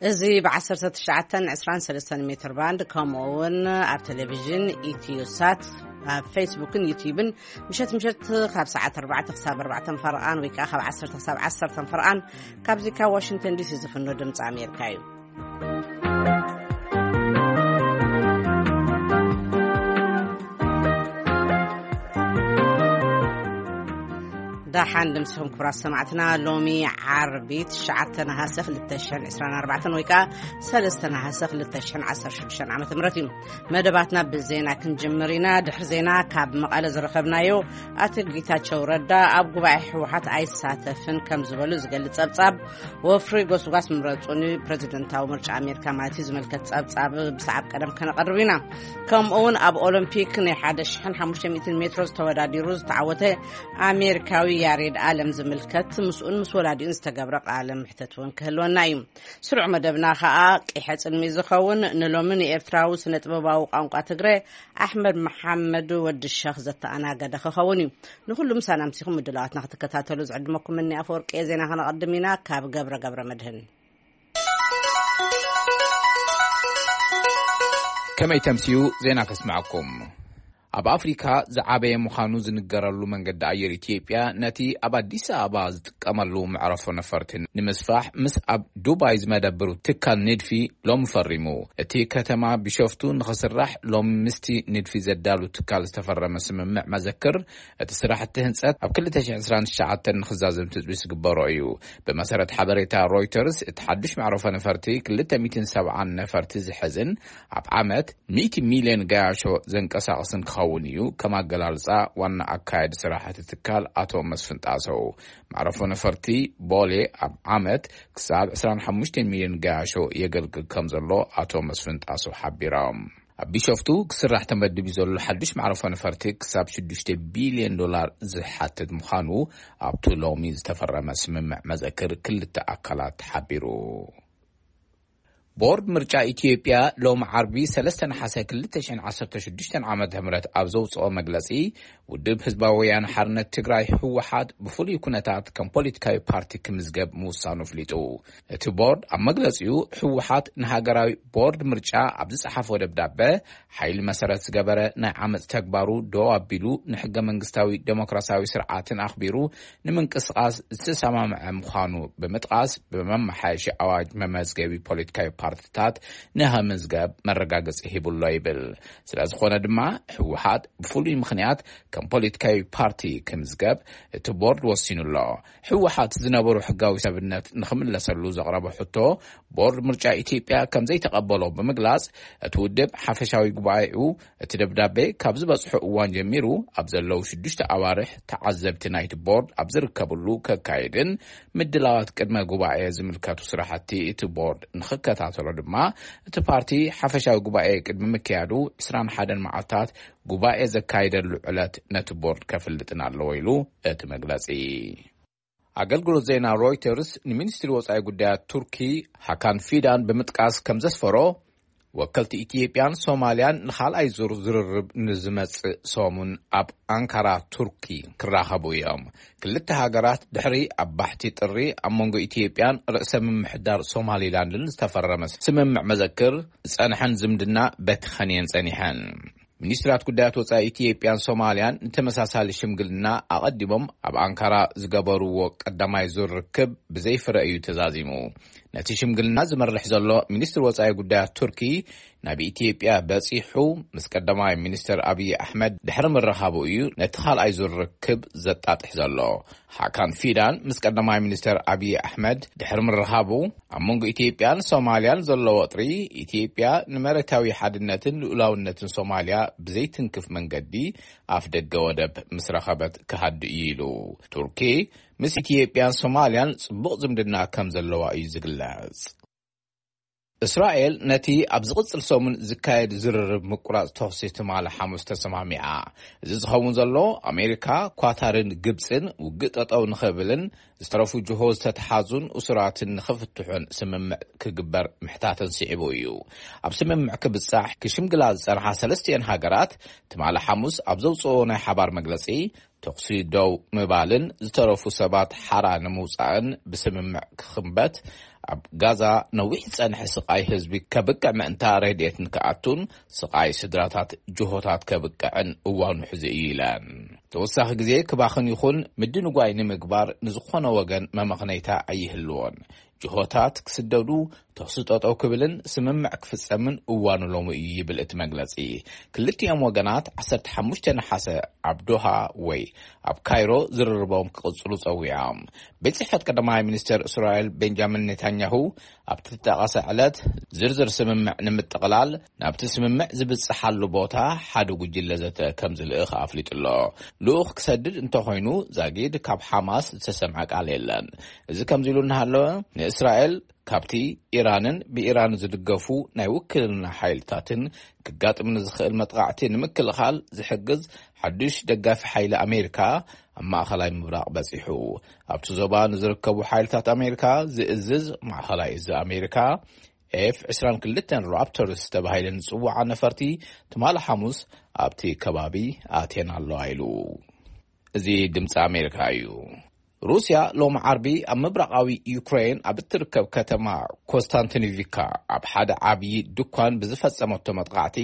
እዚ ብ19 23 ሜትር ባንድ፣ ከምኡ እውን ኣብ ቴሌቪዥን ኢትዮ ሳት፣ ኣብ ፌስቡክን ዩቲዩብን ምሸት ምሸት ካብ ሰዓት ኣርባዕተ ክሳብ ኣርባዕተ ፈረቓን ወይ ከዓ ካብ ዓሰርተ ክሳብ ዓሰርተ ፈረቓን ካብዚ ካብ ዋሽንግተን ዲሲ ዝፍኖ ድምፂ ኣሜሪካ እዩ። ደሓን ድምስኹም ክቡራት ሰማዕትና። ሎሚ ዓርቢ ትሽዓተ ነሃሰ ክልተ ሽሕን ዕስራን ኣርባዕተን ወይ ከዓ ሰለስተ ነሃሰ ክልተ ሽሕን ዓሰርተ ሽዱሽተን ዓመተ ምህረት እዩ። መደባትና ብዜና ክንጅምር ኢና። ድሕሪ ዜና ካብ መቐለ ዝረኸብናዮ ኣቶ ጌታቸው ረዳ ኣብ ጉባኤ ህወሓት ኣይሳተፍን ከም ዝበሉ ዝገልጽ ጸብጻብ፣ ወፍሪ ጎስጓስ ምረጹኒ ፕሬዚደንታዊ ምርጫ ኣሜሪካ ማለት እዩ ዝምልከት ጸብጻብ ብሰዓብ ቀደም ከነቐርብ ኢና። ከምኡ እውን ኣብ ኦሎምፒክ ናይ ሓደ ሽሕን ሓሙሽተ ሚእትን ሜትሮ ዝተወዳዲሩ ዝተዓወተ ኣሜሪካዊ ያሬድ ኣለም ዝምልከት ምስኡን ምስ ወላዲኡን ዝተገብረ ቃለ ምሕተት እውን ክህልወና እዩ። ስሩዕ መደብና ከኣ ቀይሐ ጽልሚ ዝኸውን ንሎሚ ንኤርትራዊ ስነ ጥበባዊ ቋንቋ ትግረ ኣሕመድ መሓመድ ወዲ ሸኽ ዘተኣናገደ ክኸውን እዩ። ንኹሉ ምሳና ኣምሲኹም ምድላዋትና ክትከታተሉ ዝዕድመኩም እኒ ኣፈወርቂ። ዜና ከነቐድም ኢና ካብ ገብረ ገብረ መድህን። ከመይ ተምስዩ ዜና ከስምዐኩም። ኣብ ኣፍሪካ ዝዓበየ ምዃኑ ዝንገረሉ መንገዲ ኣየር ኢትዮጵያ ነቲ ኣብ ኣዲስ ኣበባ ዝጥቀመሉ መዕረፎ ነፈርቲ ንምስፋሕ ምስ ኣብ ዱባይ ዝመደብሩ ትካል ንድፊ ሎሚ ፈሪሙ። እቲ ከተማ ቢሾፍቱ ንኽስራሕ ሎሚ ምስቲ ንድፊ ዘዳሉ ትካል ዝተፈረመ ስምምዕ መዘክር፣ እቲ ስራሕቲ ህንፀት ኣብ ክልተ ሽሕን ዕስራን ትሽዓተን ንኽዛዘም ትፅቢት ዝግበሮ እዩ። ብመሰረት ሓበሬታ ሮይተርስ፣ እቲ ሓዱሽ መዕረፎ ነፈርቲ ክልተ ሚእትን ሰብዓን ነፈርቲ ዝሕዝን ኣብ ዓመት ሚእቲ ሚልዮን ገያሾ ዘንቀሳቕስን ክኸውን እዩ፣ ከም ኣገላልጻ ዋና ኣካያዲ ስራሕ እቲ ትካል ኣቶ መስፍን ጣሰው። መዕረፎ ነፈርቲ ቦሌ ኣብ ዓመት ክሳብ ዕስራን ሓሙሽተን ሚልዮን ገያሾ የገልግል ከም ዘሎ ኣቶ መስፍን ጣሰው ሓቢሮም። ኣብ ቢሾፍቱ ክስራሕ ተመዲቡ ዘሎ ሓዱሽ መዕረፎ ነፈርቲ ክሳብ ሽዱሽተ ቢልዮን ዶላር ዝሓትት ምዃኑ ኣብቲ ሎሚ ዝተፈረመ ስምምዕ መዘክር ክልተ ኣካላት ሓቢሩ። ቦርድ ምርጫ ኢትዮጵያ ሎሚ ዓርቢ ሰለስተ ነሓሰ ክልተ ሽሕን ዓሰርተ ሽዱሽተን ዓመተ ምህረት ኣብ ዘውፅኦ መግለፂ፣ ውድብ ህዝባዊ ወያነ ሓርነት ትግራይ ህወሓት ብፍሉይ ኩነታት ከም ፖለቲካዊ ፓርቲ ክምዝገብ ምውሳኑ ኣፍሊጡ። እቲ ቦርድ ኣብ መግለፂኡ፣ ህወሓት ንሃገራዊ ቦርድ ምርጫ ኣብ ዝፀሓፎ ደብዳበ፣ ሓይሊ መሰረት ዝገበረ ናይ ዓመፅ ተግባሩ ደው ኣቢሉ፣ ንሕገ መንግስታዊ ዴሞክራሲያዊ ስርዓትን ኣኽቢሩ ንምንቅስቓስ ዝተሰማምዐ ምዃኑ ብምጥቓስ፣ ብመመሓየሺ ኣዋጅ መመዝገቢ ፖለቲካዊ ፓርቲታት ንኽምዝገብ መረጋገፂ ሂቡሎ ይብል። ስለ ዝኾነ ድማ፣ ህወሓት ብፍሉይ ምኽንያት ከም ፖለቲካዊ ፓርቲ ክምዝገብ እቲ ቦርድ ወሲኑ ኣሎ። ህወሓት ዝነበሩ ሕጋዊ ሰብነት ንኽምለሰሉ ዘቕረቦ ሕቶ ቦርድ ምርጫ ኢትዮጵያ ከም ዘይተቐበሎ ብምግላጽ፣ እቲ ውድብ ሓፈሻዊ ጉባኤኡ እቲ ደብዳቤ ካብ ዝበጽሖ እዋን ጀሚሩ ኣብ ዘለዉ ሽዱሽተ ኣዋርሕ ተዓዘብቲ ናይቲ ቦርድ ኣብ ዝርከብሉ ከካይድን ምድላዋት ቅድመ ጉባኤ ዝምልከቱ ስራሕቲ እቲ ቦርድ ንኽከታተሎ ድማ እቲ ፓርቲ ሓፈሻዊ ጉባኤ ቅድሚ ምክያዱ ዕስራን ሓደን መዓልታት ጉባኤ ዘካይደሉ ዕለት ነቲ ቦርድ ከፍልጥን ኣለዎ ኢሉ እቲ መግለጺ። ኣገልግሎት ዜና ሮይተርስ ንሚኒስትሪ ወጻኢ ጉዳያት ቱርኪ ሃካን ፊዳን ብምጥቃስ ከም ዘስፈሮ፣ ወከልቲ ኢትዮጵያን ሶማልያን ንኻልኣይ ዙር ዝርርብ ንዝመጽእ ሰሙን ኣብ ኣንካራ ቱርኪ ክራኸቡ እዮም። ክልተ ሃገራት ድሕሪ ኣብ ባሕቲ ጥሪ ኣብ መንጎ ኢትዮጵያን ርእሰ ምምሕዳር ሶማሊላንድን ዝተፈረመ ስምምዕ መዘክር ዝጸንሐን ዝምድና በቲ ኸንየን ጸኒሐን። ሚኒስትራት ጉዳያት ወጻኢ ኢትዮጵያን ሶማልያን ንተመሳሳሊ ሽምግልና ኣቐዲሞም ኣብ ኣንካራ ዝገበርዎ ቀዳማይ ዙር ርክብ ብዘይ ፍረ እዩ ተዛዚሙ። ነቲ ሽምግልና ዝመርሕ ዘሎ ሚኒስትር ወጻኢ ጉዳያት ቱርኪ ናብ ኢትዮጵያ በጺሑ ምስ ቀዳማይ ሚኒስትር ኣብይ ኣሕመድ ድሕሪ ምርኻቡ እዩ ነቲ ካልኣይ ዙር ርክብ ዘጣጥሕ ዘሎ። ሃካን ፊዳን ምስ ቀዳማይ ሚኒስትር ኣብይ ኣሕመድ ድሕሪ ምርኻቡ፣ ኣብ መንጎ ኢትዮጵያን ሶማልያን ዘሎ ወጥሪ፣ ኢትዮጵያ ንመሬታዊ ሓድነትን ልኡላውነትን ሶማልያ ብዘይትንክፍ መንገዲ ኣፍ ደገ ወደብ ምስ ረኸበት ክሃዱ እዩ ኢሉ። ቱርኪ ምስ ኢትዮጵያን ሶማልያን ጽቡቕ ዝምድና ከም ዘለዋ እዩ ዝግለጽ። እስራኤል ነቲ ኣብ ዝቕጽል ሰሙን ዝካየድ ዝርርብ ምቁራጽ ተኹሲ ትማሊ ሓሙስ ተሰማሚዓ። እዚ ዝኸውን ዘሎ፣ ኣሜሪካ፣ ኳታርን ግብጽን ውግእ ጠጠው ንኽብልን ዝተረፉ ጅሆ ዝተተሓዙን እሱራትን ንኽፍትሑን ስምምዕ ክግበር ምሕታተን ስዒቡ እዩ። ኣብ ስምምዕ ክብጻሕ ክሽምግላ ዝጸንሓ ሰለስቲኤን ሃገራት ትማሊ ሓሙስ ኣብ ዘውፅኦ ናይ ሓባር መግለጺ፣ ተኹሲ ደው ምባልን ዝተረፉ ሰባት ሓራ ንምውጻእን ብስምምዕ ክኽንበት፣ ኣብ ጋዛ ነዊሕ ዝጸንሐ ስቓይ ህዝቢ ከብቅዕ ምእንታ ረድኤትን ክኣቱን ስቓይ ስድራታት ጅሆታት ከብቅዕን እዋኑ ሕዚ እዩ ኢለን። ተወሳኺ ግዜ ክባኽን ይኹን ምድንጓይ ንምግባር ንዝኾነ ወገን መመኽነይታ ኣይህልዎን። ጅሆታት ክስደዱ፣ ተኹሲ ጠጠው ክብልን ስምምዕ ክፍጸምን እዋኑ ሎሚ እዩ ይብል እቲ መግለጺ። ክልቲኦም ወገናት ዓሰርተ ሓሙሽተ ነሓሰ ኣብ ዶሃ ወይ ኣብ ካይሮ ዝርርቦም ክቕጽሉ ጸዊዖም። ቤት ጽሕፈት ቀዳማይ ሚኒስተር እስራኤል ቤንጃሚን ኔታንያሁ ኣብቲ ተጠቐሰ ዕለት ዝርዝር ስምምዕ ንምጥቕላል ናብቲ ስምምዕ ዝብጽሓሉ ቦታ ሓደ ጉጅለ ዘተ ከም ዝልእኽ ኣፍሊጡ ኣሎ። ልኡኽ ክሰድድ እንተኾይኑ ዛጊድ ካብ ሓማስ ዝተሰምዐ ቃል የለን። እዚ ከምዚ ኢሉ እናሃለወ ንእስራኤል ካብቲ ኢራንን ብኢራን ዝድገፉ ናይ ውክልና ሓይልታትን ክጋጥም ንዝኽእል መጥቃዕቲ ንምክልኻል ዝሕግዝ ሓዱሽ ደጋፊ ሓይሊ ኣሜሪካ ኣብ ማእኸላይ ምብራቕ በጺሑ። ኣብቲ ዞባ ንዝርከቡ ሓይልታት ኣሜሪካ ዝእዝዝ ማእኸላይ እዚ ኣሜሪካ ኤፍ ዕስራን ክልተን ራፕተርስ ተባሂለ ዝጽውዓ ነፈርቲ ትማሊ ሓሙስ ኣብቲ ከባቢ ኣትየን ኣለዋ ኢሉ። እዚ ድምፂ ኣሜሪካ እዩ። ሩስያ ሎም ዓርቢ ኣብ ምብራቓዊ ዩክሬን ኣብ እትርከብ ከተማ ኮስታንቲኒቪካ ኣብ ሓደ ዓብዪ ድኳን ብዝፈጸመቶ መጥቃዕቲ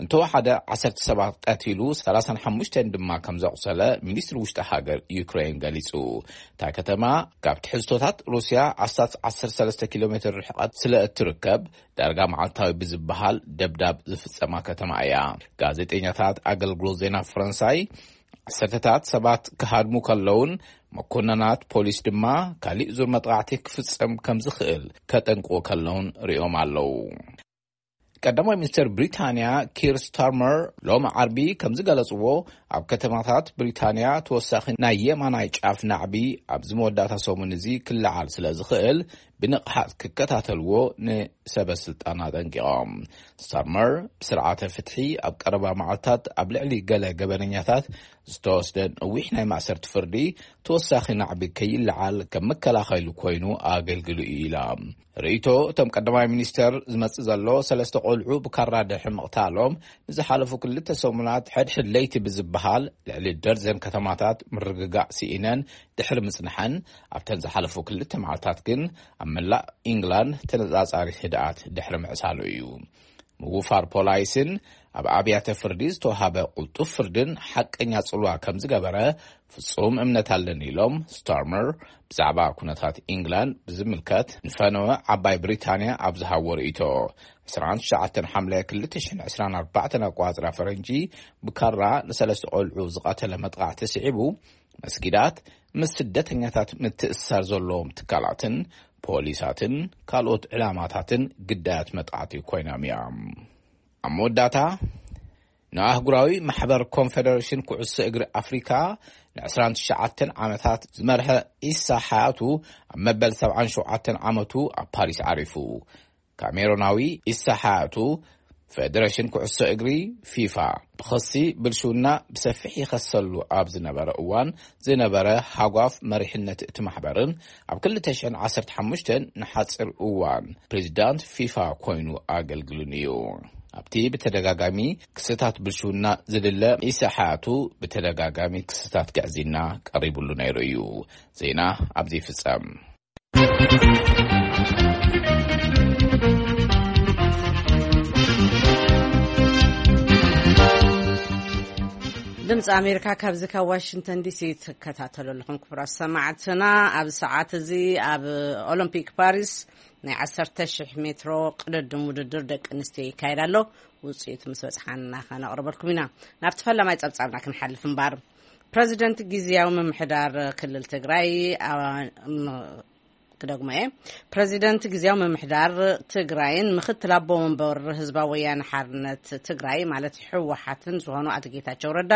እንተወሓደ ዓሰርተ ሰባት ቀቲሉ፣ ሰላሳን ሓሙሽተን ድማ ከም ዘቑሰለ ሚኒስትሪ ውሽጢ ሃገር ዩክሬን ገሊጹ። እታ ከተማ ካብ ትሕዝቶታት ሩስያ ኣስታት ዓሰርተ ሰለስተ ኪሎ ሜትር ርሕቐት ስለ እትርከብ፣ ዳርጋ መዓልታዊ ብዝበሃል ደብዳብ ዝፍጸማ ከተማ እያ። ጋዜጠኛታት ኣገልግሎት ዜና ፈረንሳይ ዓሰርተታት ሰባት ክሃድሙ ከለውን፣ መኮነናት ፖሊስ ድማ ካሊእ ዙር መጥቃዕቲ ክፍጸም ከም ዝኽእል ከጠንቅቑ ከለውን ሪኦም ኣለዉ። ቀዳማይ ሚኒስትር ብሪታንያ ኪር ስታርመር ሎም ዓርቢ ከም ዝገለጽዎ፣ ኣብ ከተማታት ብሪታንያ ተወሳኺ ናይ የማናይ ጫፍ ናዕቢ ኣብዚ መወዳእታ ሰሙን እዚ ክለዓል ስለ ዝኽእል፣ ብንቕሓት ክከታተልዎ ንሰበ ስልጣን ኣጠንቂቖም። ስታርመር ብስርዓተ ፍትሒ ኣብ ቀረባ መዓልታት ኣብ ልዕሊ ገለ ገበነኛታት ዝተወስደ ነዊሕ ናይ ማእሰርቲ ፍርዲ ተወሳኺ ናዕቢ ከይለዓል ከም መከላኸሊ ኮይኑ ኣገልግሉ እዩ ኢላ። ርእይቶ እቶም ቀዳማይ ሚኒስተር ዝመጽእ ዘሎ፣ ሰለስተ ቆልዑ ብካራ ድሕሪ ምቕታሎም ንዝሓለፉ ክልተ ሰሙናት ሕድሕድ ለይቲ ብዝበሃል ልዕሊ ደርዘን ከተማታት ምርግጋእ ስኢነን ድሕሪ ምጽንሐን፣ ኣብተን ዝሓለፉ ክልተ መዓልታት ግን ኣብ መላእ ኢንግላንድ ተነጻጻሪ ህድኣት ድሕሪ ምዕሳሉ እዩ። ምውፋር ፖላይስን ኣብ ኣብያተ ፍርዲ ዝተዋሃበ ቅልጡፍ ፍርድን ሓቀኛ ጽልዋ ከም ዝገበረ ፍጹም እምነት ኣለኒ ኢሎም ስታርመር። ብዛዕባ ኩነታት ኢንግላንድ ብዝምልከት ንፈነወ ዓባይ ብሪታንያ ኣብ ዝሃቦ ርእይቶ፣ ዕስራን ትሽዓተን ሓምለ ክልተ ሽሕን ዕስራን ኣርባዕተን ኣቋጽራ ፈረንጂ ብካራ ንሰለስተ ቆልዑ ዝቐተለ መጥቃዕቲ ስዒቡ፣ መስጊዳት ምስ ስደተኛታት ምትእስሳር ዘለዎም ትካላትን ፖሊሳትን ካልኦት ዕላማታትን ግዳያት መጥቃዕቲ ኮይኖም እዮም። ኣብ መወዳእታ፣ ንኣህጉራዊ ማሕበር ኮንፈደሬሽን ኩዕሶ እግሪ ኣፍሪካ ንዕስራን ትሽዓተን ዓመታት ዝመርሐ ኢሳ ሓያቱ ኣብ መበል ሰብዓን ሸውዓተን ዓመቱ ኣብ ፓሪስ ዓሪፉ። ካሜሮናዊ ኢሳ ሓያቱ፣ ፌደሬሽን ኩዕሶ እግሪ ፊፋ ብኸሲ ብልሽውና ብሰፊሕ ይኸሰሉ ኣብ ዝነበረ እዋን ዝነበረ ሃጓፍ መሪሕነት እቲ ማሕበርን ኣብ ክልተ ሽሕን ዓሰርተ ሓሙሽተን ንሓጺር እዋን ፕሬዚዳንት ፊፋ ኮይኑ ኣገልግሉን እዩ። ኣብቲ ብተደጋጋሚ ክስታት ብልሽውና ዝድለ ኢሳ ሓያቱ ብተደጋጋሚ ክስታት ግዕዝይና ቀሪቡሉ ነይሩ እዩ። ዜና ኣብዚ ይፍጸም። ድምፂ ኣሜሪካ ካብዚ ካብ ዋሽንግተን ዲሲ ትከታተሉ ኣለኹም። ክቡራት ሰማዕትና፣ ኣብ ሰዓት እዚ ኣብ ኦሎምፒክ ፓሪስ ናይ ዓሰርተ ሺሕ ሜትሮ ቅድድም ውድድር ደቂ ኣንስትዮ ይካየድ ኣሎ። ውፅኢቱ ምስ በፅሓና ከነቕርበልኩም ኢና። ናብቲ ፈለማይ ፀብፃብና ክንሓልፍ እምበር፣ ፕረዚደንት ግዝያዊ ምምሕዳር ክልል ትግራይ፣ ኣ- ም- ክደግሞ እየ። ፕረዚደንት ግዝያዊ ምምሕዳር ትግራይን ምኽትል ኣቦ ወንበር ህዝባዊ ወያነ ሓርነት ትግራይ ማለት ህወሓትን ዝኾኑ ኣቶ ጌታቸው ረዳ፣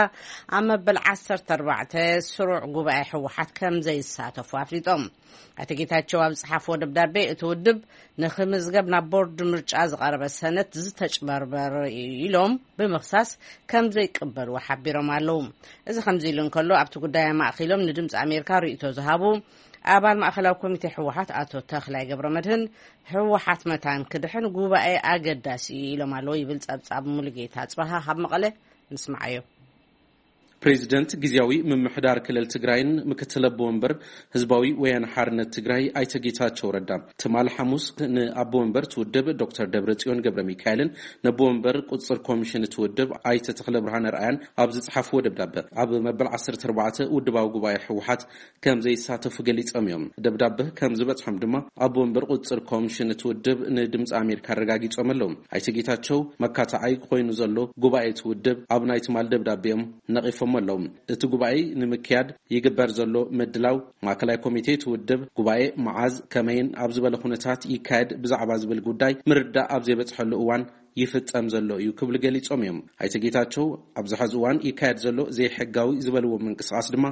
ኣብ መበል ዓሰርተ ኣርባዕተ ስሩዕ ጉባኤ ህወሓት ከም ዘይሳተፉ ኣፍሊጦም። ኣቶ ጌታቸው ኣብ ዝጸሓፍዎ ደብዳቤ፣ እቲ ውድብ ንኽምዝገብ ናብ ቦርድ ምርጫ ዝቐረበ ሰነድ ዝተጭበርበር እዩ ኢሎም ብምኽሳስ ከም ዘይቅበልዎ ሓቢሮም ኣለዉ። እዚ ከምዚ ኢሉ እንከሎ፣ ኣብቲ ጉዳይ ኣማእኪሎም ንድምፂ ኣሜሪካ ርእይቶ ዝሃቡ ኣባል ማእከላዊ ኮሚቴ ህወሓት ኣቶ ተኽላይ ገብረመድህን፣ ህወሓት መታን ክድሕን ጉባኤ ኣገዳሲ እዩ ኢሎም ኣለዉ ይብል ጸብጻብ ሙሉጌታ ኣጽበሃ ካብ መቐለ። ንስምዓዮ። ፕሬዚደንት ግዜያዊ ምምሕዳር ክልል ትግራይን ምክትል ኣቦ ወንበር ህዝባዊ ወያነ ሓርነት ትግራይ ኣይተ ጌታቸው ረዳ ትማል ሓሙስ ንኣቦ ወንበር እቲ ውድብ ዶክተር ደብረጽዮን ገብረ ሚካኤልን ነቦ ወንበር ቁፅፅር ኮሚሽን እቲ ውድብ ኣይተ ተኽለ ብርሃነ ርኣያን ኣብ ዝፅሓፍዎ ደብዳበ፣ ኣብ መበል ዓሰርተ ኣርባዕተ ውድባዊ ጉባኤ ህወሓት ከም ዘይሳተፉ ገሊጾም እዮም። ደብዳበ ከም ዝበጽሖም ድማ ኣቦ ወንበር ቁጽጽር ኮሚሽን እቲ ውድብ ንድምጺ ኣሜሪካ ኣረጋጊጾም ኣለዉ። ኣይተ ጌታቸው መካታዓይ ኮይኑ ዘሎ ጉባኤ እቲ ውድብ ኣብ ናይ ትማል ደብዳቤኦም ነቒፎም ኣለዉ። እቲ ጉባኤ ንምክያድ ይግበር ዘሎ ምድላው፣ ማእከላይ ኮሚቴ እቲ ውድብ ጉባኤ መዓዝ፣ ከመይን ኣብ ዝበለ ኩነታት ይካየድ ብዛዕባ ዝብል ጉዳይ ምርዳእ ኣብ ዘይበጽሐሉ እዋን ይፍጸም ዘሎ እዩ ክብሉ ገሊጾም እዮም። ኣይተ ጌታቸው ኣብዚ ሐዚ እዋን ይካየድ ዘሎ ዘይሕጋዊ ዝበልዎ ምንቅስቓስ ድማ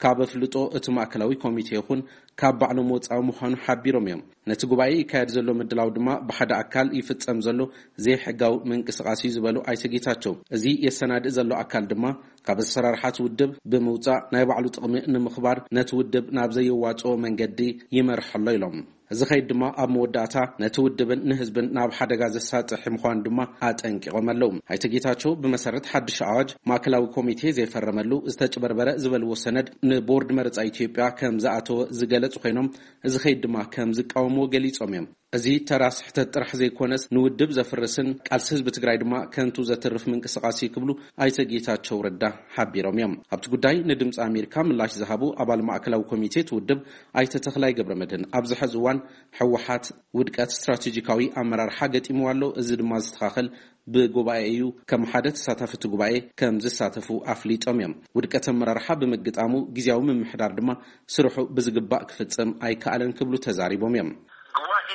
ካብ ኣፍልጦ እቲ ማእከላዊ ኮሚቴ ይኹን ካብ ባዕሎም ወጻኢ ምዃኑ ሓቢሮም እዮም። ነቲ ጉባኤ ይካየድ ዘሎ ምድላው ድማ ብሓደ ኣካል ይፍጸም ዘሎ ዘይሕጋዊ ምንቅስቓስ እዩ ዝበሉ ኣይተ ጌታቸው፣ እዚ የሰናድእ ዘሎ ኣካል ድማ ካብ ኣሰራርሓ እቲ ውድብ ብምውጻእ ናይ ባዕሉ ጥቕሚ ንምኽባር ነቲ ውድብ ናብ ዘየዋጽኦ መንገዲ ይመርሖ ኣሎ ኢሎም። እዚ ኸይድ ድማ ኣብ መወዳእታ ነቲ ውድብን ንህዝብን ናብ ሓደጋ ዘሳጥሕ ምዃኑ ድማ ኣጠንቂቖም ኣለዉ። ኣይተ ጌታቸው ብመሰረት ሓድሽ ኣዋጅ ማእከላዊ ኮሚቴ ዘይፈረመሉ ዝተጭበርበረ ዝበልዎ ሰነድ ንቦርድ መረጻ ኢትዮጵያ ከም ዝኣተወ ዝገለጹ ኮይኖም፣ እዚ ኸይድ ድማ ከም ዝቃወምዎ ገሊጾም እዮም። እዚ ተራ ስሕተት ጥራሕ ዘይኮነስ ንውድብ ዘፍርስን ቃልሲ ህዝቢ ትግራይ ድማ ከንቱ ዘትርፍ ምንቅስቓስ እዩ ክብሉ ኣይተ ጌታቸው ረዳ ሓቢሮም እዮም። ኣብቲ ጉዳይ ንድምፂ ኣሜሪካ ምላሽ ዝሃቡ ኣባል ማእከላዊ ኮሚቴ እቲ ውድብ ኣይተ ተኽላይ ገብረ መድህን ኣብዚ ሐዚ እዋን ህወሓት ውድቀት ስትራቴጂካዊ ኣመራርሓ ገጢምዋ ኣሎ፣ እዚ ድማ ዝስተኻኸል ብጉባኤ እዩ፣ ከም ሓደ ተሳታፊ እቲ ጉባኤ ከም ዝሳተፉ ኣፍሊጦም እዮም። ውድቀት ኣመራርሓ ብምግጣሙ ግዜያዊ ምምሕዳር ድማ ስርሑ ብዝግባእ ክፍጽም ኣይከኣለን ክብሉ ተዛሪቦም እዮም። ጉባኤ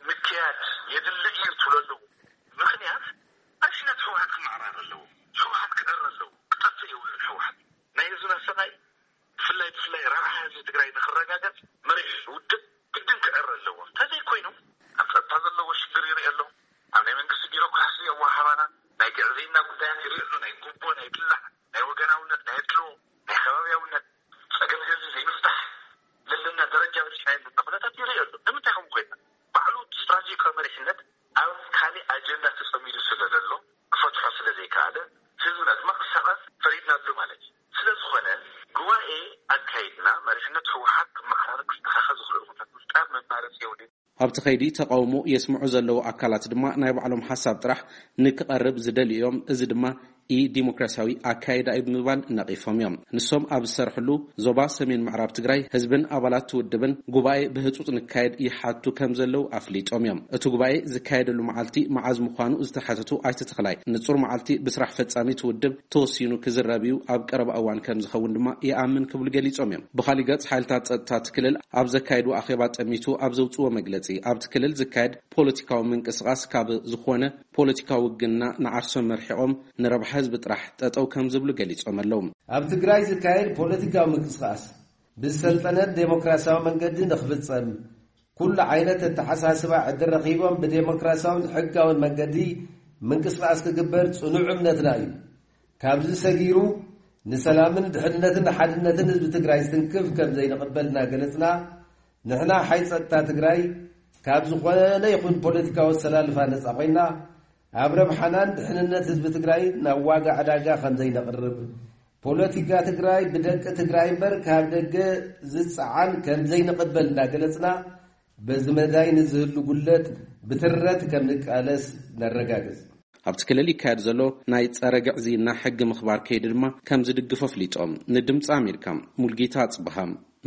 ምክያድ የድሊ እዩ ትብለሉ ምኽንያት ኣሽነት ህወሓት ክመዓራር ኣለዎ። ህወሓት ክዕር ኣለዎ። ክጠፍእ የብሉን ህወሓት። ናይ ህዝብና ሰብኣይ ብፍላይ ብፍላይ ረብሓ ህዝቢ ትግራይ ንክረጋገፅ መሪሕ ውድብ ግድን ክዕር ኣለዎ። እንተዘይኮይኑ ኣብ ጸጥታ ዘለዎ ሽግር ይርኢ ኣሎ። ኣብ ናይ መንግስቲ ቢሮክራሲ ኣወሃሃባና ናይ ግዕዝይና ጉዳያት ይርኢ ኣሎ። ናይ ጉቦ፣ ናይ ብላዕ፣ ናይ ወገናውነት፣ ናይ ኣድልዎ፣ ናይ ከባብያውነት ጸገም ህዝቢ ዘይምፍታሕ ዘለና ደረጃ በፂሕና ዘለና ኩነታት ይርኢ ኣሎ። ንምንታይ ከምኡ ኮይና? ባዕሉ ስትራቴጂካዊ መሪሕነት ኣብ ካሊእ ኣጀንዳ ተጸሚዱ ስለ ዘሎ ክፈትሖ ስለ ዘይከኣለ ህዝብና ድማ ክሳቐ ፈሪድናሉ ማለት እዩ። ስለ ዝኾነ ጉባኤ ኣካይድና መሪሕነት ህወሓት ክመሓራረብ ክስተኻኸል ዝኽእል ኩነታት ምፍጣር መማረፂ የብሉን። ኣብቲ ኸይዲ ተቓውሞ የስምዑ ዘለዉ ኣካላት ድማ ናይ ባዕሎም ሓሳብ ጥራሕ ንክቐርብ ዝደልዩ እዮም። እዚ ድማ ኢ ዲሞክራሲያዊ ኣካይዳ እዩ ብምባል ነቒፎም እዮም። ንሶም ኣብ ዝሰርሕሉ ዞባ ሰሜን ምዕራብ ትግራይ ህዝብን ኣባላት ውድብን ጉባኤ ብህፁፅ ንካየድ ይሓቱ ከም ዘለዉ ኣፍሊጦም እዮም። እቲ ጉባኤ ዝካየደሉ መዓልቲ መዓዝ ምዃኑ ዝተሓተቱ ኣይተ ተኽላይ ንፁር መዓልቲ ብስራሕ ፈፃሚት ውድብ ተወሲኑ ክዝረብ እዩ፣ ኣብ ቀረባ እዋን ከም ዝኸውን ድማ ይኣምን ክብሉ ገሊፆም እዮም። ብኻሊእ ገፅ ሓይልታት ፀጥታ እቲ ክልል ኣብ ዘካየዱ ኣኼባ ጠሚቱ ኣብ ዘውፅዎ መግለፂ ኣብቲ ክልል ዝካየድ ፖለቲካዊ ምንቅስቓስ ካብ ዝኾነ ፖለቲካዊ ውግና ንዓርሶም መርሒቖም ንረብሓ ህዝቢ ጥራሕ ጠጠው ከም ዝብሉ ገሊጾም ኣለዉ። ኣብ ትግራይ ዝካየድ ፖለቲካዊ ምንቅስቓስ ብዝሰልጠነ ዴሞክራሲያዊ መንገዲ ንኽፍጸም፣ ኩሉ ዓይነት ኣተሓሳስባ ዕድል ረኺቦም ብዴሞክራሲያውን ሕጋውን መንገዲ ምንቅስቓስ ክግበር ጽኑዕ እምነትና እዩ። ካብዚ ሰጊሩ ንሰላምን ድሕንነትን ሓድነትን ህዝቢ ትግራይ ዝትንክፍ ከም ዘይንቕበል እናገለጽና፣ ንሕና ሓይሊ ጸጥታ ትግራይ ካብ ዝኾነ ይኹን ፖለቲካዊ ኣሰላልፋ ነጻ ኮይና፣ ኣብ ረብሓናን ድሕንነት ህዝቢ ትግራይ ናብ ዋጋ ዕዳጋ ከም ዘይነቕርብ፣ ፖለቲካ ትግራይ ብደቂ ትግራይ እምበር ካብ ደገ ዝጸዓን ከም ዘይንቕበል እንዳገለጽና፣ በዚ መዳይ ንዝህሉ ጉለት ብትረት ከም ንቃለስ ነረጋግጽ። ኣብቲ ክልል ይካየድ ዘሎ ናይ ጸረ ግዕዝይና ሕጊ ምኽባር ከይዲ ድማ ከም ዝድግፎ ኣፍሊጦም። ንድምፂ ኣሜሪካ ሙልጌታ ኣጽብሃ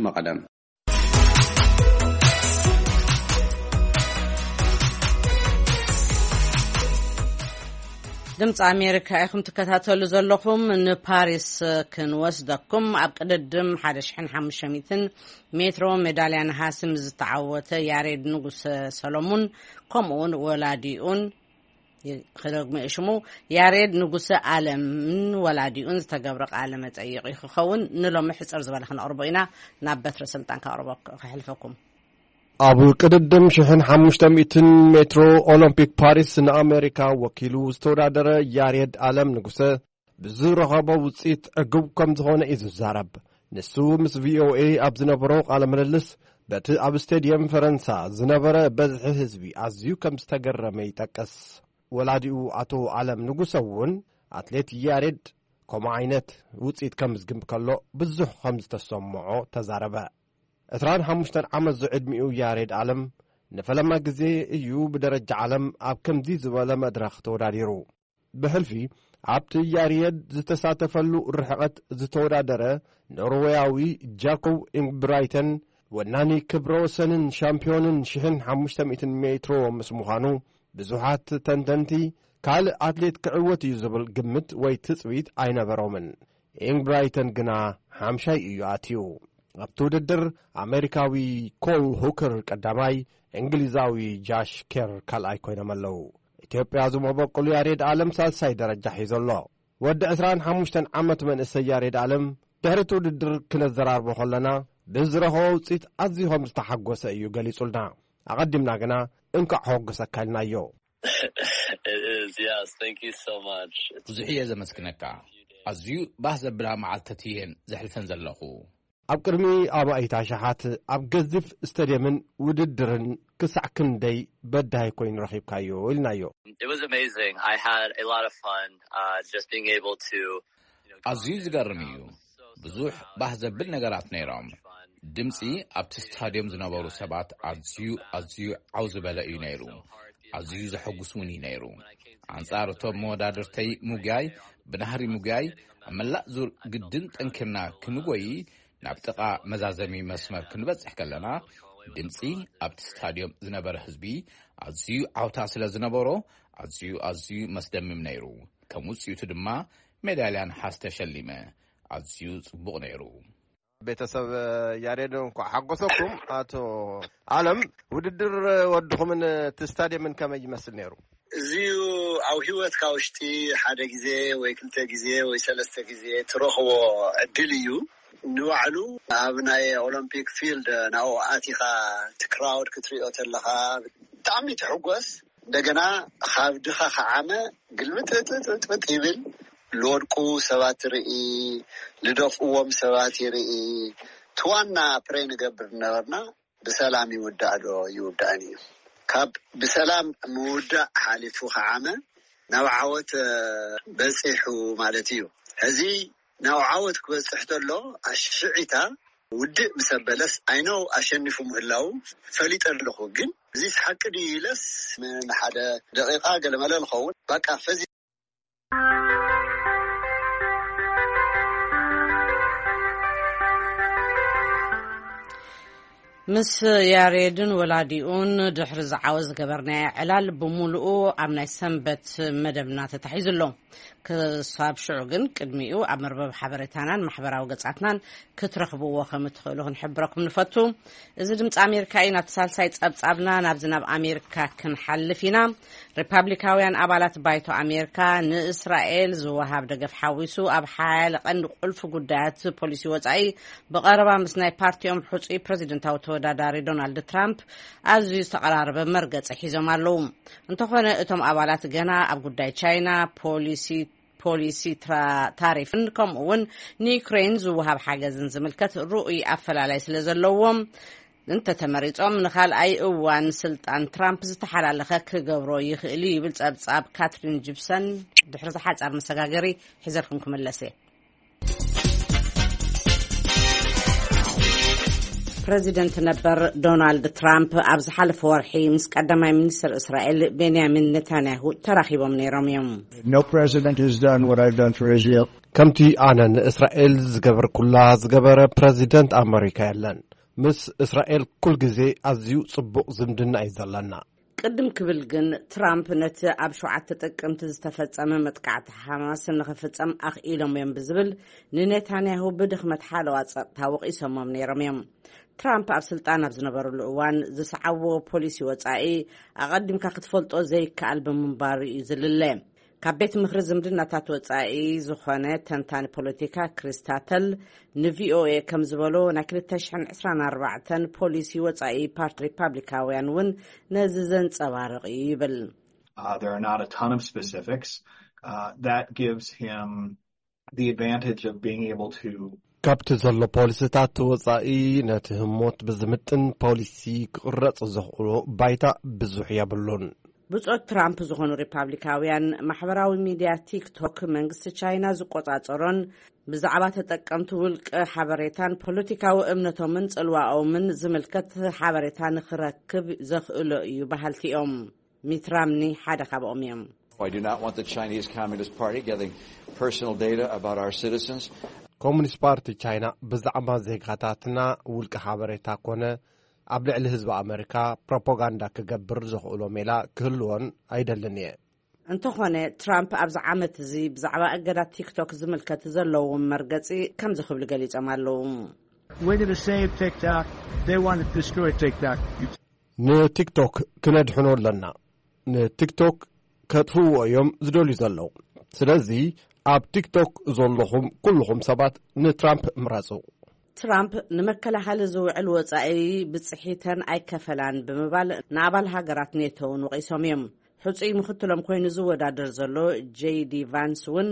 መቐለ። ድምፂ ኣሜሪካ ኢኹም ትከታተሉ ዘለኹም። ንፓሪስ ክንወስደኩም። ኣብ ቅድድም ሓደ ሽሕን ሓሙሽተ ሚእትን ሜትሮ ሜዳልያ ነሃስ ምስ ዝተዓወተ ያሬድ ንጉሰ ሰሎሙን፣ ከምኡውን ወላዲኡን፣ ክደግሞ እየ ሽሙ፣ ያሬድ ንጉሰ ኣለምን ወላዲኡን ዝተገብረ ቃለ መጠይቕ እዩ ክኸውን። ንሎሚ ሕጽር ዝበለ ክነቕርቦ ኢና። ናብ በትረ ስልጣን ከቕርቦ፣ ከሕልፈኩም። ኣብ ቅድድም ሽሕን ሓሙሽተ ሚእትን ሜትሮ ኦሎምፒክ ፓሪስ ንኣሜሪካ ወኪሉ ዝተወዳደረ ያሬድ ኣለም ንጉሰ ብዝረኸቦ ውጽኢት ዕጉብ ከም ዝኾነ እዩ ዝዛረብ። ንሱ ምስ ቪ ኦ ኤ ኣብ ዝነበሮ ቃለ ምልልስ፣ በቲ ኣብ ስቴድየም ፈረንሳ ዝነበረ በዝሒ ህዝቢ ኣዝዩ ከም ዝተገረመ ይጠቅስ። ወላዲኡ ኣቶ ኣለም ንጉሰ እውን፣ ኣትሌት ያሬድ ከምኡ ዓይነት ውጽኢት ከምዝግብ ከሎ ብዙሕ ከም ዝተሰምዖ ተዛረበ። ዕስራን ሓሙሽተን ዓመት ዝዕድሚኡ ያሬድ ኣለም ንፈለማ ግዜ እዩ ብደረጃ ዓለም ኣብ ከምዚ ዝበለ መድረኽ ተወዳዲሩ። ብሕልፊ ኣብቲ ያሬድ ዝተሳተፈሉ ርሕቐት ዝተወዳደረ ኖርዌያዊ ጃኮብ ኢንግብራይተን ወናኒ ክብረ ወሰንን ሻምፒዮንን ሽሕን ሓሙሽተ ሚእትን ሜትሮ ምስ ምዃኑ፣ ብዙሓት ተንተንቲ ካልእ ኣትሌት ክዕወት እዩ ዝብል ግምት ወይ ትጽቢት ኣይነበሮምን። ኢንግብራይተን ግና ሓምሻይ እዩ ኣትዩ። ኣብቲ ውድድር ኣሜሪካዊ ኮል ሁከር ቀዳማይ፣ እንግሊዛዊ ጃሽ ኬር ካልኣይ ኮይኖም ኣለዉ። ኢትዮጵያ ዝመበቁሉ ያሬድ ኣለም ሳልሳይ ደረጃ ሒዙ ኣሎ። ወዲ ዕስራን ሓሙሽተን ዓመት መንእሰይ ያሬድ ኣለም ድሕሪ እቲ ውድድር ክነዘራርቦ ከለና ብዝረኸቦ ውፅኢት ኣዝዩ ከም ዝተሓጎሰ እዩ ገሊጹልና። ኣቐዲምና ግና እንኳዕ ሓጎሰካ ኢልናዮ። It is, yes. Thank you so much. It's ብዙሕ እየ ዘመስግነካ። ኣዝዩ ባህ ዘብላ መዓልትታት እየን ዘሕልፈን ዘለኹ። ኣብ ቅድሚ ኣማኢት ኣሽሓት ኣብ ገዚፍ ስታድየምን ውድድርን ክሳዕ ክንደይ በዳሂ ኮይኑ ረኺብካዮ ኢልናዮ። It was amazing. I had a lot of fun uh, just being able to. You know, ኣዝዩ ዝገርም እዩ። ብዙሕ ባህ ዘብል ነገራት ነይሮም። ድምፂ ኣብቲ ስታድዮም ዝነበሩ ሰባት ኣዝዩ ኣዝዩ ዓው ዝበለ እዩ ነይሩ። ኣዝዩ ዘሐጉስ እውን እዩ ነይሩ። ኣንጻር እቶም መወዳድርተይ ምጉያይ፣ ብናህሪ ምጉያይ፣ ኣብ መላእ ዙር ግድን ጠንኪርና ክንጎይ ናብ ጥቓ መዛዘሚ መስመር ክንበጽሕ ከለና፣ ድምጺ ኣብቲ ስታድዮም ዝነበረ ህዝቢ ኣዝዩ ዓውታ ስለ ዝነበሮ፣ ኣዝዩ ኣዝዩ መስደምም ነይሩ። ከም ውጽኢቱ ድማ ሜዳልያ ነሓስ ተሸሊመ። ኣዝዩ ጽቡቕ ነይሩ። ቤተሰብ ያሬድ እንኳዕ ሓጎሰኩም። ኣቶ ኣለም፣ ውድድር ወድኹምን እቲ ስታድየምን ከመይ ይመስል ነይሩ? እዚዩ ኣብ ህይወትካ ውሽጢ ሓደ ግዜ ወይ ክልተ ግዜ ወይ ሰለስተ ግዜ ትረኽቦ ዕድል እዩ። ንባዕሉ ኣብ ናይ ኦሎምፒክ ፊልድ ናብኡ ኣቲኻ እቲ ክራውድ ክትሪኦ ተለኻ ብጣዕሚ ትሕጎስ። እንደገና ካብ ድኻ ከዓመ ግልብጥጥጥጥ ይብል። ልወድቁ ሰባት ይርኢ፣ ልደፍእዎም ሰባት ይርኢ። እቲ ዋና ፕሬ ንገብር ነበርና ብሰላም ይውዳእ ዶ ይውዳእን እዩ። ካብ ብሰላም ምውዳእ ሓሊፉ ከዓመ ናብ ዓወት በፂሑ ማለት እዩ። ሕዚ ናብ ዓወት ክበፅሕ ተሎ ኣሽዒታ ውድእ ምስ ኣበለስ ኣይነው ኣሸኒፉ ምህላው ፈሊጠ ኣለኹ። ግን እዚ ሓቂ ድዩ ኢለስ ንሓደ ደቂቃ ገለመለ ንኸውን ባቃ ፈዚ ምስ ያሬድን ወላዲኡን ድሕሪ ዝዓወት ዝገበርናዮ ዕላል ብምሉኡ ኣብ ናይ ሰንበት መደብና ተታሒዙ ኣሎ። ክሳብ ሽዑ ግን ቅድሚኡ ኣብ መርበብ ሓበሬታናን ማሕበራዊ ገጻትናን ክትረኽብዎ ከም እትኽእሉ ክንሕብረኩም ንፈቱ። እዚ ድምፂ ኣሜሪካ እዩ። ናብቲ ሳልሳይ ጸብጻብና ናብዚ ናብ ኣሜሪካ ክንሓልፍ ኢና። ሪፓብሊካውያን ኣባላት ባይቶ ኣሜሪካ ንእስራኤል ዝወሃብ ደገፍ ሓዊሱ ኣብ ሓያለ ቀንዲ ቁልፊ ጉዳያት ፖሊሲ ወጻኢ ብቐረባ ምስ ናይ ፓርቲኦም ሕጹይ ፕረዚደንታዊ ተወዳዳሪ ዶናልድ ትራምፕ ኣዝዩ ዝተቐራረበ መርገጺ ሒዞም ኣለዉ። እንተኾነ እቶም ኣባላት ገና ኣብ ጉዳይ ቻይና፣ ፖሊሲ ፖሊሲ ታሪፍን ከምኡ እውን ንዩክሬን ዝወሃብ ሓገዝን ዝምልከት ርኡይ ኣፈላላይ ስለ ዘለዎም እንተተመሪጾም ንኻልኣይ እዋን ስልጣን ትራምፕ ዝተሓላለኸ ክገብሮ ይኽእል እዩ ይብል ጸብጻብ ካትሪን ጂፕሰን። ድሕሪ ዝሓጻር መሰጋገሪ ሒዘልኩም ክምለስ እየ። ፕረዚደንት ነበር ዶናልድ ትራምፕ ኣብ ዝሓለፈ ወርሒ ምስ ቀዳማይ ሚኒስትር እስራኤል ቤንያሚን ኔታንያሁ ተራኺቦም ነይሮም እዮም። No president has done what I've done for Israel. ከምቲ ኣነ ንእስራኤል ዝገበርኩላ ዝገበረ ፕረዚደንት ኣመሪካ የለን። ምስ እስራኤል ኩል ግዜ ኣዝዩ ጽቡቕ ዝምድና እዩ ዘለና። ቅድም ክብል ግን ትራምፕ ነቲ ኣብ ሸውዓተ ጥቅምቲ ዝተፈጸመ መጥቃዕቲ ሓማስ ንኽፍጸም ኣኽኢሎም እዮም ብዝብል ንኔታንያሁ ብድኽመት ሓለዋ ጸጥታ ወቒሶሞም ነይሮም እዮም። ትራምፕ ኣብ ስልጣን ኣብ ዝነበርሉ እዋን ዝሰዓብዎ ፖሊሲ ወጻኢ ኣቐዲምካ ክትፈልጦ ዘይከኣል ብምንባሩ እዩ ዝልለ። ካብ ቤት ምኽሪ ዝምድናታት ወጻኢ ዝኾነ ተንታኒ ፖለቲካ ክሪስታተል ንቪኦኤ ከም ዝበሎ ናይ ክልተ ሽሕን ዕስራን ኣርባዕተን ፖሊሲ ወጻኢ ፓርቲ ሪፓብሊካውያን እውን ነዚ ዘንጸባርቕ እዩ ይብል። Uh, there are not a ton of specifics. Uh, that gives him the advantage of being able to ካብቲ ዘሎ ፖሊሲታት ወጻኢ ነቲ ህሞት ብዝምጥን ፖሊሲ ክቕረጽ ዘኽእሎ ባይታ ብዙሕ የብሉን። ብጾት ትራምፕ ዝኾኑ ሪፓብሊካውያን፣ ማሕበራዊ ሚድያ ቲክቶክ መንግስቲ ቻይና ዝቆጻጸሮን ብዛዕባ ተጠቀምቲ ውልቀ ሓበሬታን ፖለቲካዊ እምነቶምን ጽልዋኦምን ዝምልከት ሓበሬታ ንኽረክብ ዘኽእሎ እዩ በሃልቲ እዮም። ሚት ራምኒ ሓደ ካብኦም እዮም። I do not want the Chinese Communist Party getting personal data about our citizens. ኮሙኒስት ፓርቲ ቻይና ብዛዕባ ዜጋታትና ውልቀ ሓበሬታ ኮነ ኣብ ልዕሊ ህዝቢ ኣመሪካ ፕሮፓጋንዳ ክገብር ዘኽእሎ ሜላ ክህልዎን ኣይደልን እየ። እንተኾነ፣ ትራምፕ ኣብዚ ዓመት እዚ ብዛዕባ እገዳ ቲክቶክ ዝምልከት ዘለዎም መርገጺ ከምዚ ክብሉ ገሊጾም ኣለዉ። We're going to save TikTok. They want to destroy TikTok. ንቲክቶክ ክነድሕኖ ኣለና። ንቲክቶክ ከጥፍዎ እዮም ዝደልዩ ዘለዉ። ስለዚ ኣብ ቲክቶክ ዘለኹም ኩልኹም ሰባት ንትራምፕ ምረጹ። ትራምፕ ንመከላኸሊ ዝውዕል ወጻኢ ብጽሒተን ኣይከፈላን ብምባል ንኣባል ሃገራት ኔቶ እውን ወቒሶም እዮም። ሕጹይ ምኽትሎም ኮይኑ ዝወዳደር ዘሎ ጄዲ ቫንስ እውን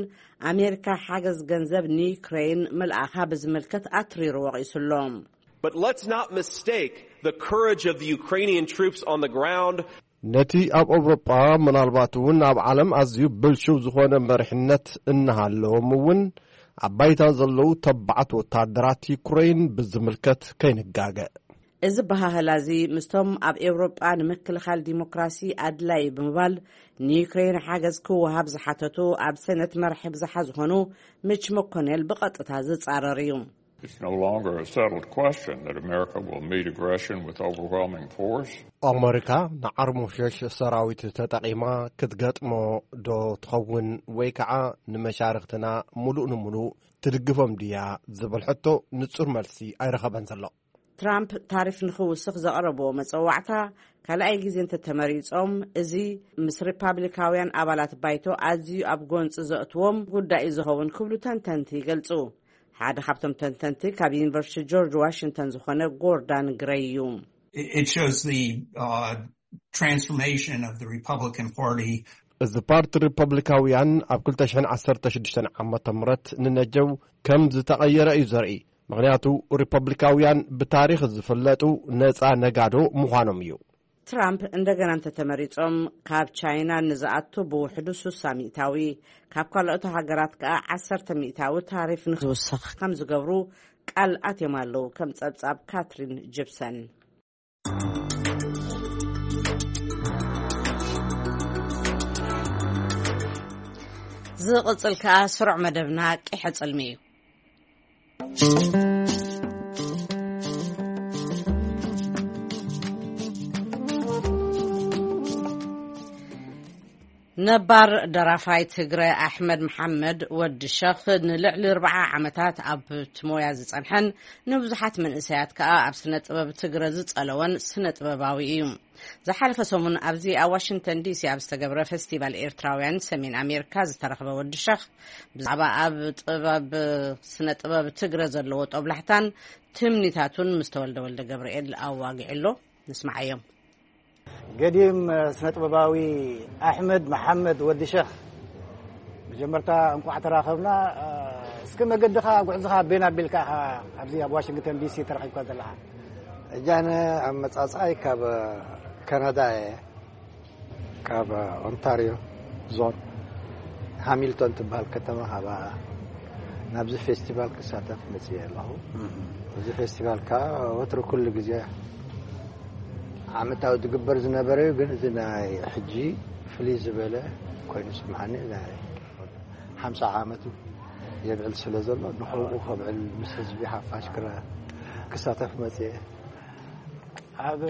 ኣሜሪካ ሓገዝ ገንዘብ ንዩክሬን ምልኣኻ ብዝምልከት ኣትሪሩ ወቒሱ ኣሎ። But let's not mistake the courage of the Ukrainian troops on the ground. ነቲ ኣብ ኣውሮጳ፣ ምናልባት እውን ኣብ ዓለም ኣዝዩ ብልሽው ዝኾነ መሪሕነት እናሃለዎም እውን፣ ኣብ ባይታ ዘለዉ ተባዓት ወታደራት ዩክሬን ብዝምልከት ከይንጋገ። እዚ በሃህላ እዚ ምስቶም ኣብ ኤውሮጳ ንምክልኻል ዲሞክራሲ ኣድላዪ ብምባል ንዩክሬን ሓገዝ ክወሃብ ዝሓተቱ ኣብ ሰነት መራሒ ብዝሓ ዝኾኑ ሚች መኮኔል ብቐጥታ ዝጻረር እዩ። It's no longer a settled question that America will meet aggression with overwhelming force. ኣመሪካ ንዓርሞሸሽ ሰራዊት ተጠቒማ ክትገጥሞ ዶ ትኸውን ወይ ከዓ ንመሻርኽትና ምሉእ ንምሉእ ትድግፎም ድያ ዝብል ሕቶ ንጹር መልሲ ኣይረኸበን ዘሎ። ትራምፕ ታሪፍ ንኽውስኽ ዘቕረብዎ መጸዋዕታ ካልኣይ ግዜ እንተተመሪጾም፣ እዚ ምስ ሪፓብሊካውያን ኣባላት ባይቶ ኣዝዩ ኣብ ጎንጺ ዘእትዎም ጉዳይ እዩ ዝኸውን ክብሉ ተንተንቲ ይገልጹ። ሓደ ካብቶም ተንተንቲ ካብ ዩኒቨርሲቲ ጆርጅ ዋሽንግተን ዝኾነ ጎርዳን ግረይ እዩ። It shows the uh, transformation of the Republican Party. እዚ ፓርቲ ሪፐብሊካውያን ኣብ ክልተ ሽሕን ዓሰርተ ሽዱሽተን ዓመተ ምህረት ንነጀው ከም ዝተቐየረ እዩ ዘርኢ። ምኽንያቱ ሪፐብሊካውያን ብታሪኽ ዝፍለጡ ነፃ ነጋዶ ምዃኖም እዩ። ትራምፕ እንደገና እንተተመሪጾም፣ ካብ ቻይና ንዝኣቱ ብውሕዱ ሱሳ ሚእታዊ፣ ካብ ካልኦት ሃገራት ከኣ ዓሰርተ ሚእታዊ ታሪፍ ንክውስኽ ከም ዝገብሩ ቃል ኣትዮም ኣለዉ። ከም ጸብጻብ ካትሪን ጅፕሰን። ዝቕጽል ከኣ ስሩዕ መደብና ቂሐ ጽልሚ እዩ። ነባር ደራፋይ ትግረ ኣሕመድ መሓመድ ወዲ ሸኽ ንልዕሊ ኣርብዓ ዓመታት ኣብቲ ሞያ ዝጸንሐን ንብዙሓት መንእሰያት ከኣ ኣብ ስነ ጥበብ ትግረ ዝጸለወን ስነ ጥበባዊ እዩ። ዝሓለፈ ሰሙን ኣብዚ ኣብ ዋሽንግተን ዲሲ ኣብ ዝተገብረ ፈስቲቫል ኤርትራውያን ሰሜን ኣሜሪካ ዝተረኽበ ወዲ ሸኽ ብዛዕባ ኣብ ጥበብ ስነ ጥበብ ትግረ ዘለዎ ጦብላሕታን ትምኒታቱን ምስ ተወልደ ወልደ ገብርኤል ኣዋጊዑ ኣሎ። ንስማዓዮም። ገዲም ስነ ጥበባዊ ኣሕመድ መሓመድ ወዲ ሸኽ፣ መጀመርታ እንቋዕ ተራኸብና። እስኪ መገድኻ ጉዕዝኻ ኣበይና ኣቢልካ ኢኻ ኣብዚ ኣብ ዋሽንግተን ዲሲ ተረኺብካ ዘለኻ? እጃነ ኣመጻጽኣይ ካብ ካናዳ እየ፣ ካብ ኦንታሪዮ ዞን ሃሚልቶን ትበሃል ከተማ፣ ካብ ናብዚ ፌስቲቫል ክሳተፍ መጽየ ኣለኹ። እዚ ፌስቲቫል ከዓ ወትሩ ኩሉ ግዜ ዓመታዊ ዝግበር ዝነበረ እዩ፣ ግን እዚ ናይ ሕጂ ፍልይ ዝበለ ኮይኑ ስምዓኒ። ናይ ሓምሳ ዓመቱ የብዕል ስለ ዘሎ ንኸብኡ ከብዕል ምስ ህዝቢ ሓፋሽ ክረ ክሳተፍ መጽየ። ኣብ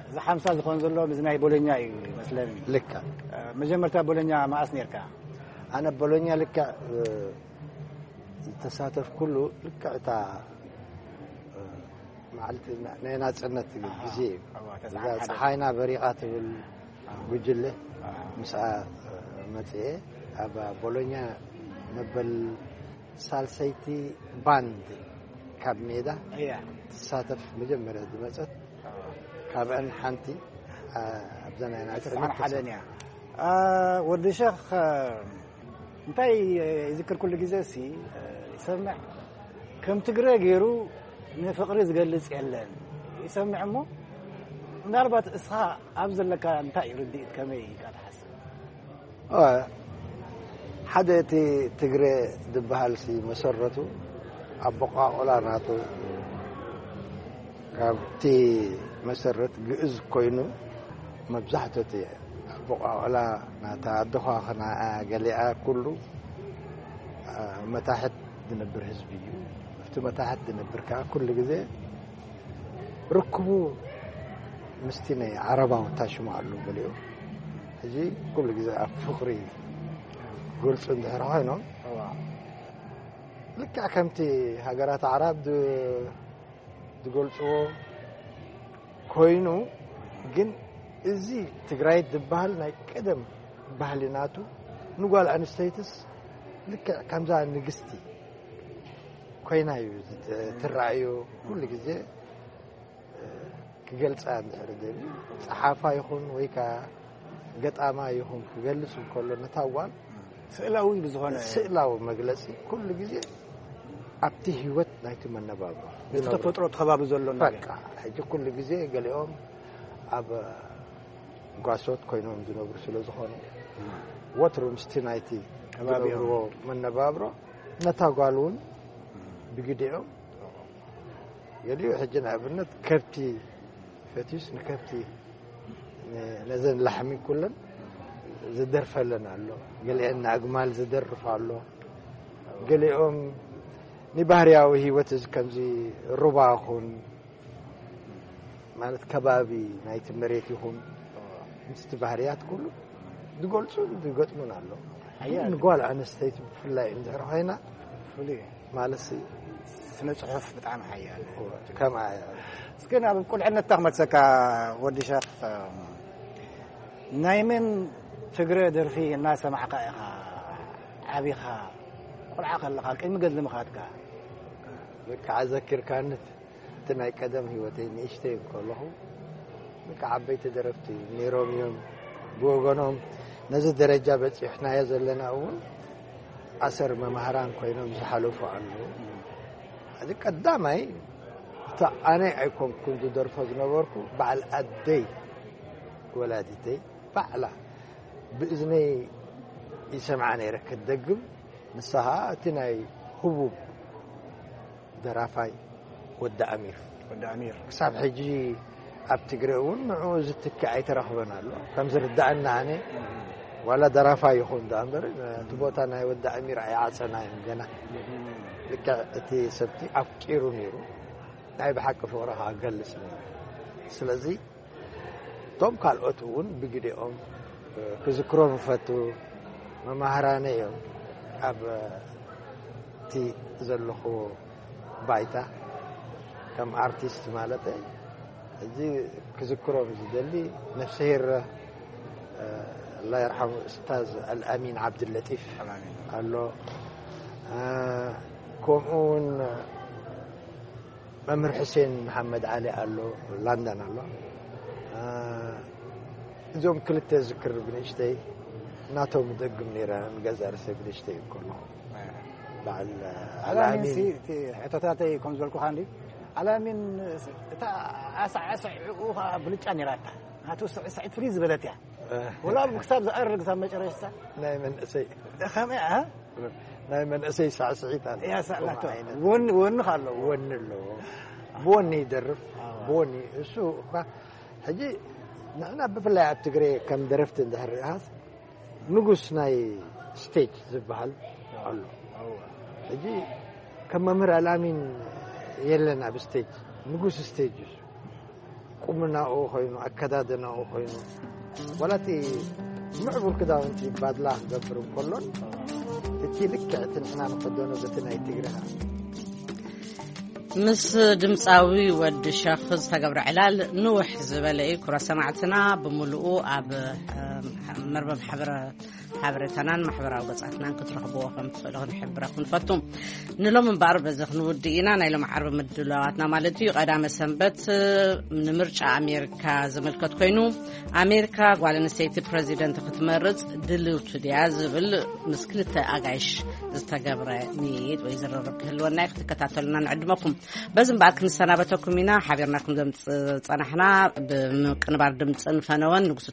እዚ ሓምሳ ዝኾን ዘሎ ምስ ናይ ቦሎኛ እዩ መስለኒ። ልክዕ። መጀመርታ ቦሎኛ መኣስ ነርካ? ኣነ ቦሎኛ ልክዕ ዝተሳተፍኩሉ ልክዕ እታ መዓልቲ ናይ ናጽነት ግዜ እዩ። እዛ ፀሓይና በሪቓ ትብል ጉጅለ ምስኣ መፅኤ ኣብ ቦሎኛ መበል ሳልሰይቲ ባንድ ካብ ሜዳ ትሳተፍ መጀመርያ ዝመፀት ካብአን ሓንቲ ኣብዛ ናይ ናፅነት ተሳተፍ። ወዲ ሸኽ እንታይ ይዝክር ኩሉ ግዜ ሲ ይሰምዕ ከም ትግረ ገይሩ ንፍቕሪ ዝገልጽ የለን ይሰምዕ እሞ ምናልባት እስኻ ኣብ ዘለካ እንታይ እዩ ርድኢት፣ ከመይ ኢልካ ትሓስብ? አ፣ ሓደ እቲ ትግረ ዝበሃል ሲ መሰረቱ ኣቦቋቑላ ናቱ ካብቲ መሰረት ግእዝ ኮይኑ፣ መብዛሕትኡ እቲ ኣቦቋቑላ ናታ ኣደኳ ኸና ገሊኣ ኩሉ፣ አ፣ መታሕት ዝነብር ህዝቢ እዩ። ኣብቲ መታሕት ዝነብር ከዓ ኩሉ ግዜ ርክቡ ምስቲ ናይ ዓረባዊ ታሽሙ ኣሎ ገሊኡ። ሕጂ ኩሉ ግዜ ኣብ ፍቕሪ ግልጹ እንድሕር ኮይኖም፣ እዋ። ልክዕ ከምቲ ሃገራት ኣዕራብ ድ-፣ ዝገልጽዎ ኮይኑ፣ ግን እዚ ትግራይ ዝበሃል ናይ ቀደም ባህሊ ናቱ፣ ንጓል ኣንስተይትስ ልክዕ ከምዛ ንግስቲ ኮይና እዩ ዝት-፣ ትረኣዮ። ኩሉ ግዜ ክገልጻ እንድሕር ደልዩ፣ ጸሓፋ ይኹን ወይ ከኣ ገጣማ ይኹን ክገልጽ እንከሎ፣ ነታ ጓል ስእላዊ ብዝኾነ ስእላዊ መግለጺ ኩሉ ግዜ ኣብቲ ህይወት ናይቲ መነባብሮ እቲ ዝነብሮ። ተፈጥሮ እቲ ከባቢ ዘሎ ነገር። በቃ፣ ሕጂ ኩሉ ግዜ ገሊኦም ኣብ ጓሶት ኮይኖም ዝነብሩ ስለ ዝኾኑ፣ ወትሩ ምስቲ ናይቲ ከባቢኦም። ዝነብርዎ መነባብሮ፣ ነታ ጓል እውን ብግዲኦም ገሊኡ ሕጂ ንኣብነት ከብቲ ፈትዩስ ንከብቲ፣ ን-፣ ነዘን ላሕሚ ኩለን ዝደርፈለን ኣሎ። ገሊአን ንኣግማል ዝደርፍ ኣሎ። ገሊኦም ንባህርያዊ ህይወት እዚ ከምዚ ሩባ ይኹን ማለት ከባቢ ናይቲ መሬት ይኹን ምስቲ ባህርያት ኩሉ ዝገልጹን ዝገጥሙን ኣሎ። ሓያል። ንጓል ኣንስተይቲ ብፍላይ እንድሕር ኮይና ፍሉይ። ማለት ሲ ስነ ጽሑፍ ብጣዕሚ ሓያል። ከምኣ እያ። እስኪ ናብ ቁልዕነትካ ክመልሰካ ወዲ ሸኽ፣ ናይ መን ትግረ ደርፊ እናሰማዕካ ኢኻ ዓቢኻ? ቆልዓ ከለኻ ቅድሚ ገድሊ ምኻድካ? በቃ ኣዘኪርካኒ። እቲ ናይ ቀደም ህይወተይ ንእሽተይ ከለኹ በቃ ዓበይቲ ደረፍቲ ነይሮም እዮም። ብወገኖም ነዚ ደረጃ በጺሕናዮ ዘለና እውን ኣሰር መማህራን ኮይኖም ዝሓለፉ ኣለዉ። እዚ ቀዳማይ፣ እታ ኣነ ኣይኮንኩን ዝደርፎ ዝነበርኩ፣ በዓል ኣደይ ወላዲተይ ባዕላ ብእዝነይ ይሰምዓ ነይረ ክትደግም። ንሳ ኸኣ እቲ ናይ ህቡብ ደራፋይ ወዲ ኣሚር። ወዲ ኣሚር። ክሳብ ሕጂ ኣብ ትግረ እውን ንዕኡ ዝትክእ ኣይተረኽበን ኣሎ። ከም ዝርድኣና ኣነ፣ ዋላ ደራፋይ ይኹን ደኣ እምበር፣ እቲ ቦታ ናይ ወዲ ኣሚር ኣይዓጸናዮን ገና። ልክዕ እቲ ሰብቲ ኣፍቂሩ ነይሩ። ናይ ብሓቂ ፍቕሪ ከኣ ገልጽ ነይሩ። ስለዚ እቶም ካልኦት እውን ብግዲኦም ክዝክሮም እፈቱ። መማህራነ እዮም። ኣብ እቲ ዘለኹዎ ባይታ ከም ኣርቲስት ማለተይ፣ ሕጂ ክዝክሮም ዝደሊ ነፍስሄር፣ ኣላ ይርሓሙ፣ ኡስታዝ ኣልኣሚን ዓብድለጢፍ ኣልኣሚን። ኣሎ። ከምኡ እውን መምህር ሕሴን መሓመድ ዓሊ ኣሎ፣ ላንደን ኣሎ። እዞም ክልተ ዝክር ብንእሽተይ ናቶም ደግም ነይረ፣ ንገዛ ርእሰይ ብንእሽተይ ከለኹ። በዓል ኣላሚን ኣላሚን። ሲ-፣ እቲ ሕቶታተይ ከም ዝበልኩኻ እንዲ፣ ኣላሚን እታ ኣሳዕስዕኡ ኸዓ ብልጫ ነይራታ። ናቱ ስዕስዒት ፍልይ ዝበለት እያ። ወላ ኣብ ክሳብ ዝኣርግ፣ ክሳብ መጨረሽታ። ናይ መንእሰይ። ከመይ፣ እ? ናይ መንእሰይ ሳዕስዒት ኣሎ። እያ፣ ሳዕ-፣ ከምኡ ናቶ። ዓይነት። ወኒ፣ ወኒ ከ ኣለዎ? ወኒ ኣለዎ። ብወኒ ይደርፍ። ኣዋ። ብወኒ። እሱ እኳ ሕጂ ንሕና ብፍላይ ኣብ ትግሬ ከም ደረፍቲ እንድሕር ርኢኻስ ንጉስ ናይ ስቴጅ ዝበሃል ኣሎ። ኣዋ። ሕጂ ከም መምህር ኣልኣሚን የለን ኣብ ስቴጅ። ንጉስ ስቴጅ እዩ። ቁምናኡ ኮይኑ፣ ኣከዳድናኡ ኮይኑ፣ ዋላ እቲ ምዕቡል ክዳውንቲ ባድላ ክገብር እንከሎን፣ እቲ ልክዕ እቲ ንሕና ንኸደኖ በቲ ናይ ትግርና። ምስ ድምፃዊ ወዲ ሸኽ ዝተገብረ ዕላል ንውሕ ዝበለ እዩ። ክቡራት ሰማዕትና፣ ብምሉኡ ኣብ፣ እ፣ መርበብ ሓበረ-፣ ሓበሬታናን ማሕበራዊ ገጻትናን ክትረኽብዎ ከም ትኽእሉ ክንሕብረኩም ንፈቱ። ንሎም እምበኣር በዚ ክንውድእ ኢና። ናይ ሎም ዓርቢ ምድላዋትና ማለት እዩ፣ ቀዳመ ሰንበት ንምርጫ ኣሜሪካ ዝምልከት ኮይኑ፣ ኣሜሪካ ጓል ኣንስተይቲ ፕረዚደንት ክትመርጽ ድልውቲ ድያ ዝብል ምስ ክልተ ኣጋይሽ ዝተገብረ ምይይጥ ወይ ዝርርብ ክህልወና እዩ። ክትከታተሉና ንዕድመኩም። በዚ እምበኣር ክንሰናበተኩም ኢና። ሓቢርናኩም ዘምጽ ጸናሕና ብምቅንባር ድምፅን ፈነወን ንጉሱ